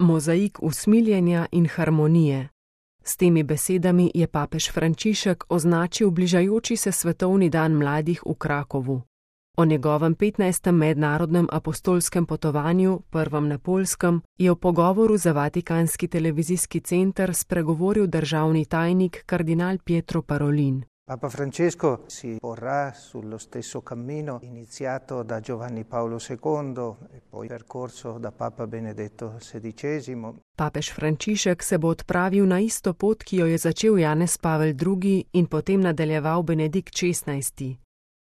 mozaik usmiljenja in harmonije. S temi besedami je papež Frančišek označil bližajoči se svetovni dan mladih v Krakovu. O njegovem 15. mednarodnem apostolskem potovanju, prvem na Poljskem, je v pogovoru za Vatikanski televizijski center spregovoril državni tajnik kardinal Pietro Parolin. Papa Francesco si porrà sullo stesso cammino iniziato da Giovanni Paolo II e poi percorso da Papa Benedetto XVI. Papež Frančišek se bo odpravil na isto pot, ki jo je začel Janez Pavel II in potem nadaljeval Benedikt XVI.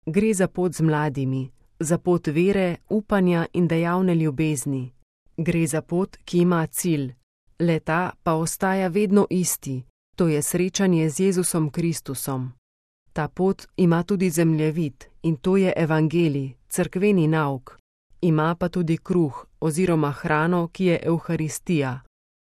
Gre za pot z mladimi, za pot vere, upanja in dejavne ljubezni. Gre za pot, ki ima cilj. Le-ta pa ostaja vedno isti, to je srečanje z Jezusom Kristusom. Ta pot ima tudi zemljevid in to je evangelij, cerkveni nauk. Ima pa tudi kruh oziroma hrano, ki je evharistija.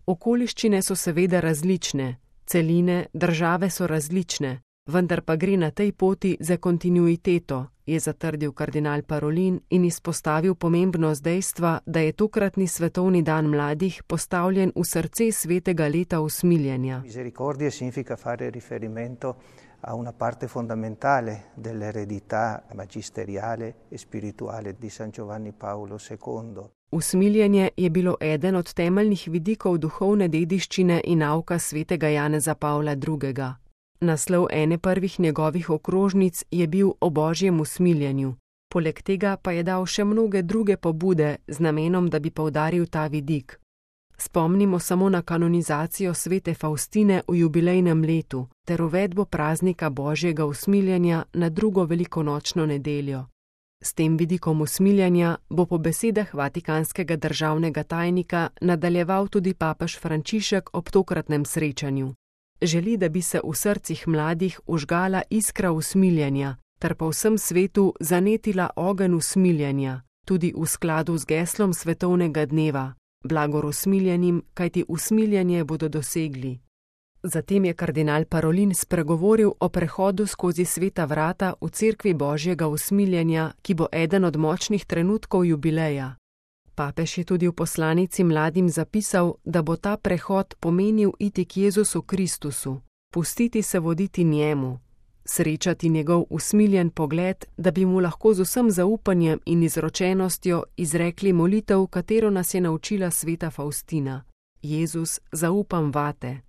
Okoliščine so seveda različne, celine, države so različne, vendar pa gre na tej poti za kontinuiteto, je zatrdil kardinal Parolin in izpostavil pomembnost dejstva, da je tokratni svetovni dan mladih postavljen v srce svetega leta usmiljenja. Misericordia significa fare riferimento a una parte fondamentale dell'eredità magisteriale e spirituale di San Giovanni Paolo II. Usmiljenje je bilo eden od temeljnih vidikov duhovne dediščine in nauka svetega Janeza Pavla II. Naslov ene prvih njegovih okrožnic je bil o božjem usmiljenju. Poleg tega pa je dal še mnoge druge pobude z namenom, da bi poudaril ta vidik. Spomnimo samo na kanonizacijo svete Faustine v jubilejnem letu ter uvedbo praznika božjega usmiljenja na drugo velikonočno nedeljo. S tem vidikom usmiljenja bo po besedah vatikanskega državnega tajnika nadaljeval tudi papež Frančišek ob tokratnem srečanju. Želi, da bi se v srcih mladih vžgala iskra usmiljenja, ter po vsem svetu zanetila ogenj usmiljenja, tudi v skladu z geslom svetovnega dneva, blagor usmiljenim, kajti usmiljenje bodo dosegli. Zatem je kardinal Parolin spregovoril o prehodu skozi sveta vrata v cerkvi božjega usmiljenja, ki bo eden od močnih trenutkov jubileja. Papež je tudi v poslanici mladim zapisal, da bo ta prehod pomenil iti k Jezusu Kristusu, pustiti se voditi njemu, srečati njegov usmiljen pogled, da bi mu lahko z vsem zaupanjem in izročenostjo izrekli molitev, katero nas je naučila sveta Faustina. Jezus, zaupam vate.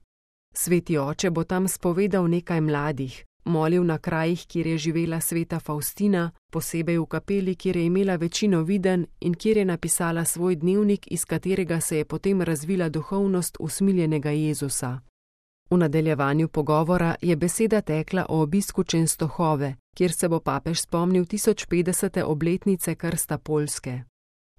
Sveti oče bo tam spovedal nekaj mladih, molil na krajih, kjer je živela sveta Faustina, posebej v kapeli, kjer je imela večino videnj in kjer je napisala svoj dnevnik, iz katerega se je potem razvila duhovnost usmiljenega Jezusa. V nadaljevanju pogovora je beseda tekla o obisku Čenstohove, kjer se bo papež spomnil 1050. obletnice krsta Poljske.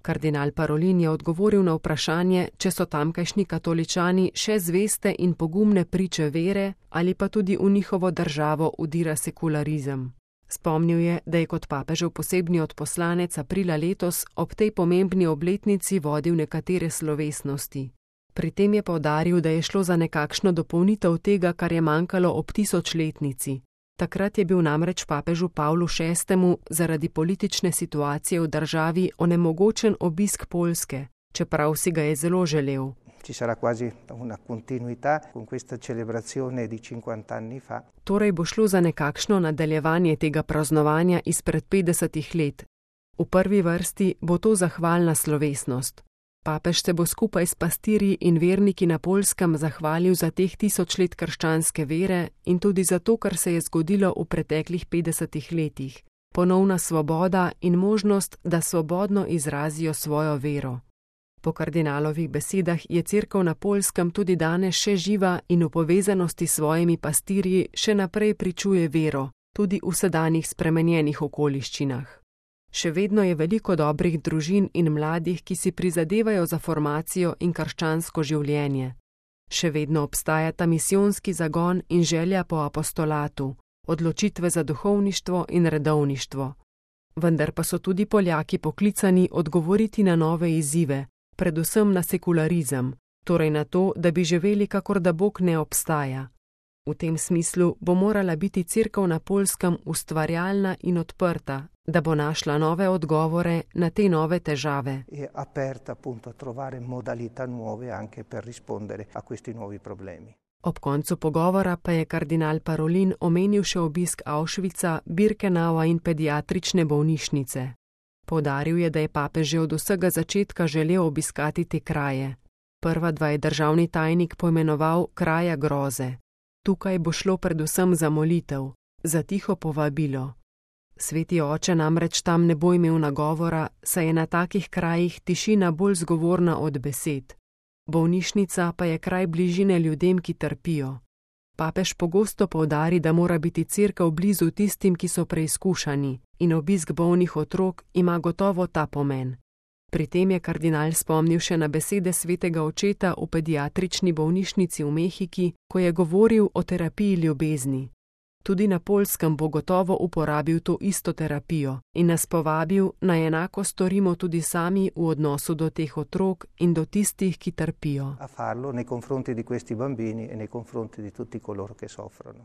Kardinal Parolin je odgovoril na vprašanje, če so tamkajšnji katoličani še zveste in pogumne priče vere ali pa tudi v njihovo državo udira sekularizem. Spomnil je, da je kot papežev posebni odposlanec aprila letos ob tej pomembni obletnici vodil nekatere slovesnosti. Pri tem je poudaril, da je šlo za nekakšno dopolnitev tega, kar je manjkalo ob 1000-letnici. Takrat je bil namreč papežu Pavlu VI. Zaradi politične situacije v državi onemogočen obisk Poljske, čeprav si ga je zelo želel. Ci sarà quasi una continuità con questa celebrazione di 50 anni fa. Torej bo šlo za nekakšno nadaljevanje tega praznovanja izpred 50 let. V prvi vrsti bo to zahvalna slovesnost. Papež se bo skupaj s pastirji in verniki na Poljskem zahvalil za teh 1000 let krščanske vere in tudi za to, kar se je zgodilo v preteklih 50 letih. Ponovna svoboda in možnost, da svobodno izrazijo svojo vero. Po kardinalovih besedah je cerkev na Poljskem tudi danes še živa in v povezanosti s svojimi pastirji še naprej pričuje vero, tudi v sedanjih spremenjenih okoliščinah. Še vedno je veliko dobrih družin in mladih, ki si prizadevajo za formacijo in krščansko življenje. Še vedno obstajata misijonski zagon in želja po apostolatu, odločitve za duhovništvo in redovništvo. Vendar pa so tudi Poljaki poklicani odgovoriti na nove izzive, predvsem na sekularizem, torej na to, da bi živeli, kakor da Bog ne obstaja. V tem smislu bo morala biti cerkev na Poljskem ustvarjalna in odprta, da bo našla nove odgovore na te nove težave. È aperta appunto a trovare modalità nuove anche per rispondere a questi nuovi problemi. Ob koncu pogovora pa je kardinal Parolin omenil še obisk Auschwitza, Birkenaua in pediatrične bolnišnice. Poudaril je, da je papež že od vsega začetka želel obiskati te kraje. Prva dva je državni tajnik poimenoval kraja groze. Tukaj bo šlo predvsem za molitev, za tiho povabilo. Sveti oče namreč tam ne bo imel nagovora, saj je na takih krajih tišina bolj zgovorna od besed. Bolnišnica pa je kraj bližine ljudem, ki trpijo. Papež pogosto poudari, da mora biti cerkev blizu tistim, ki so preizkušani, in obisk bolnih otrok ima gotovo ta pomen. Pri tem je kardinal spomnil še na besede svetega očeta v pediatrični bolnišnici v Mehiki, ko je govoril o terapiji ljubezni. Tudi na Poljskem bo gotovo uporabil to isto terapijo in nas povabil, naj enako storimo tudi sami v odnosu do teh otrok in do tistih, ki trpijo. A farlo nei confronti di questi bambini e nei confronti di tutti coloro che soffrono.